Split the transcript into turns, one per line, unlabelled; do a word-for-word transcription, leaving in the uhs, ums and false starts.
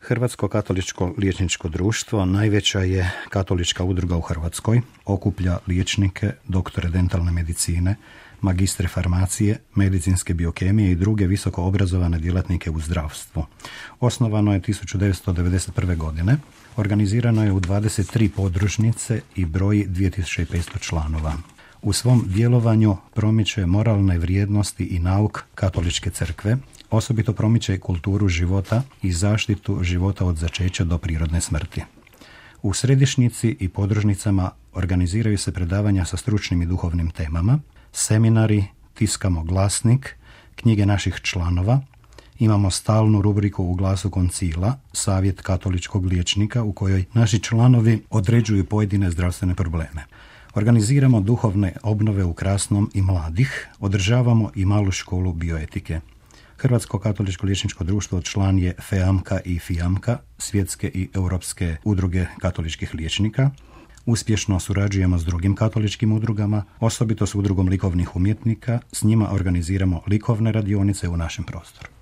Hrvatsko katoličko liječničko društvo najveća je katolička udruga u Hrvatskoj, okuplja liječnike, doktore dentalne medicine, magistre farmacije, medicinske biokemije i druge visoko obrazovane djelatnike u zdravstvu. Osnovano je tisuću devetsto devedeset prve. godine, organizirano je u dvadeset tri podružnice i broji dvije tisuće petsto članova. U svom djelovanju promiče moralne vrijednosti i nauk katoličke crkve, osobito promiče kulturu života i zaštitu života od začeća do prirodne smrti. U središnjici i podružnicama organiziraju se predavanja sa stručnim i duhovnim temama, seminari, tiskamo glasnik, knjige naših članova, imamo stalnu rubriku u Glasu koncila, savjet katoličkog liječnika u kojoj naši članovi određuju pojedine zdravstvene probleme. Organiziramo duhovne obnove u Krasnom i mladih, održavamo i malu školu bioetike. Hrvatsko katoličko liječničko društvo član je FEAMKA i FIAMKA, svjetske i europske udruge katoličkih liječnika. Uspješno surađujemo s drugim katoličkim udrugama, osobito s udrugom likovnih umjetnika, s njima organiziramo likovne radionice u našem prostoru.